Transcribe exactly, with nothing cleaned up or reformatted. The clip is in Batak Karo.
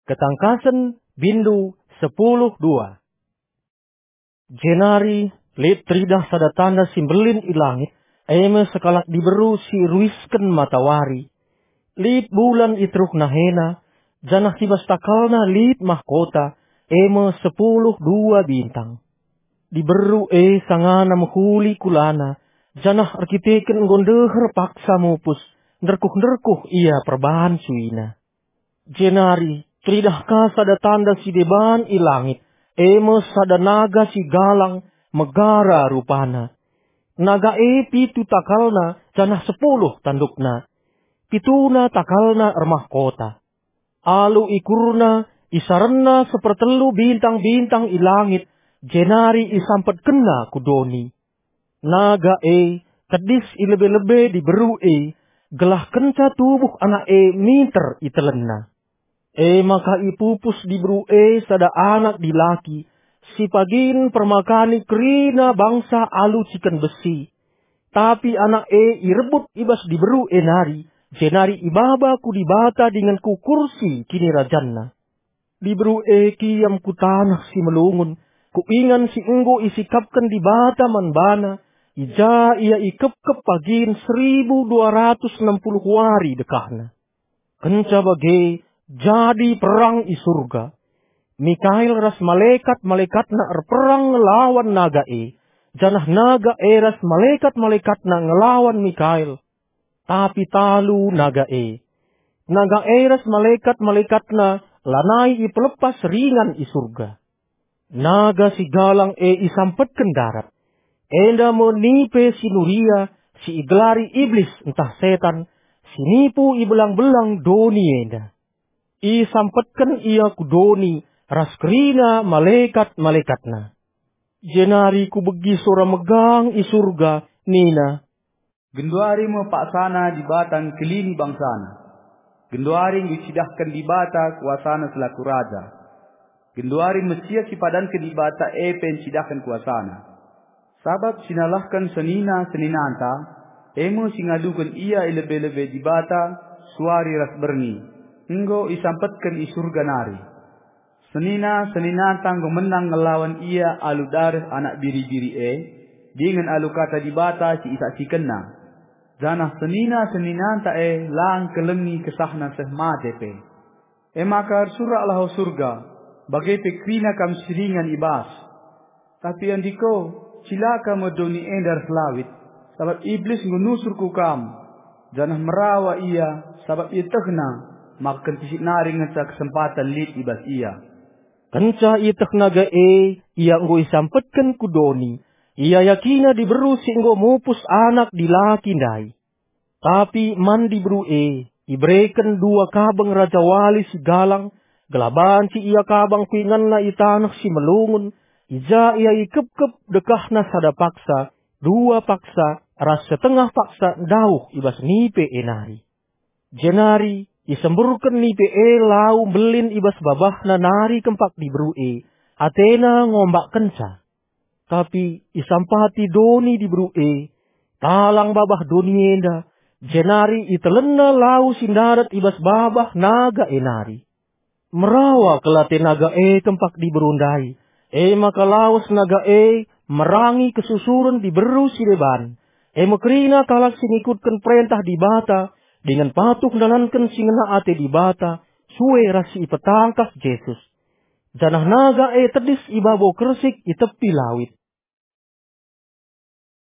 Ketangkasen, bindu sepuluh dua. Jenari lit teridah sada tanda si mbelin i langit, e me sekalak diberu si ruisken matawari. Lit bulan i teruh nahena, janah i bas takalna lit mahkota, e me sepuluh dua bintang. Diberu e sangana mehuli kulana, janah erkiteken enggo ndeher paksa mupus, nderkuh-nderkuh ia perbahan suina. Jenari teridah ka sada tanda si deban i langit, e me sada naga si galang, megara rupana. Naga e pitu takalna, janah sepuluh tandukna. Pituna takalna ermahkota. Alu ikurna, isarenna sepertelu bintang-bintang i langit, jenari isampetkenna ku doni. Naga e tedis i lebe-lebe diberu e, gelah kenca tubuh anak e minter itelenna. E maka ipupus diberu e sada anak dilaki, si pagin permakani kerina bangsa alu ciken besi. Tapi anak e irebut i bas diberu e nari, jenari ibaba ku Dibata dingen ku kursi kinirajanna. Diberu e kiam ku taneh si melungun, ku ingan si enggo isikapken Dibata man bana, i ja ia ikepkep pagin seribu dua ratus enam puluh wari dekahna. Kenca bage, jadi perang i Surga. Mikael ras malekat-malekatna erperang ngelawan naga e, janah naga e ras malekat-malekatna ngelawan Mikael. Tapi talu naga e. Naga e ras malekat-malekatna lanai ipelepas ringan i Surga. Naga si galang e isampetken darat. Enda me nipe si nuria, si igelari Iblis ntah Setan, si nipu i belang-belang doni enda. Isampetken ia ku doni ras kerina malekat-malekatna. Jenari kubegi sora megang i Surga, nina, "Genduari me paksana Dibata ngkelini bangsaNa. Genduari enggo icidahken Dibata kuasaNa selaku Raja. Genduari Mesias si ipadanken Dibata e pe ncidahken kuasaNa. Sabap si nalahken senina-seninanta, e me si ngaduken ia i lebe-lebe Dibata suari ras berngi, enggo isampetken i Surga nari. Senina-seninanta enggo menang ngelawan ia alu dareh Anak Biri-biri e, dingen alu Kata Dibata si isaksikenna. Janah senina-seninanta e la ngkelengi kesahna seh mate pe. E maka ersuraklah, o Surga, bage pe kerina kam si ringan i bas. Tapi andiko, cilaka me doni enda ras lawit, sabap Iblis enggo nusur ku kam, janah merawa ia, sabap ietehna maka kentisik nari ngenca kesempaten lit i bas ia." Kenca ieteh naga e ia enggo isampetken ku doni, iayakina diberu si enggo mupus anak dilaki ndai. Tapi man diberu e ibereken dua kabeng rajawali si galang, gelah banci ia kabang ku inganna i taneh si melungun, i ja ia ikepkep dekahna sada paksa, dua paksa, ras setengah paksa ndauh i bas nipe e nari. Jenari isemburken nipe e lau mbelin i bas babahna nari kempak diberu e, atena ngombakkenca. Tapi isampati doni diberu e, talang babah doni enda, jenari itelenna lau si ndarat i bas babah naga e nari. Merawa kal ate naga e kempak diberu ndai, e maka lawes naga e merangi kesusuren diberu si deban, e me kerina kalak si ngikutken perentah Dibata dingen patuh ndalanken si ngena ate Dibata, sue ras si ipetangkas Jesus. Janah naga e tedis i babo kersik i tepi lawit.